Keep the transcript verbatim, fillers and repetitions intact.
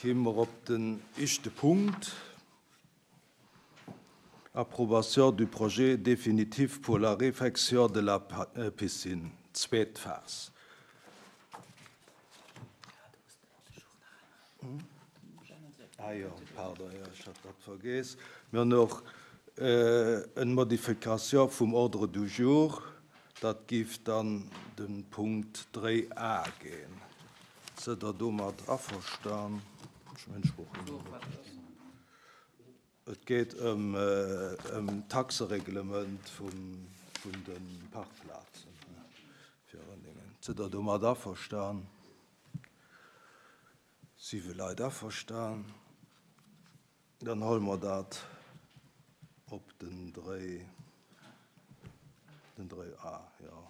Kéime mer op den éischte Punkt, Approbation du projet définitif pour la réfection de la piscine, zweet Phas. Ah jo, pardon, jo, ech hat dat vergeess. Mir hunn och eng Modifikatioun vum Ordre du jour. Dat géif dann de Punkt dräi a ginn. Sidd Der domat averstan? Ech mengen, ech brauch Et geet ëm d'Taxereglement vun de Parkplazen fir Rënningen. Sidd Der domat averstan? Siwe Leit averstan. Dann huele mer dat op den dräi, den dräi a, jo.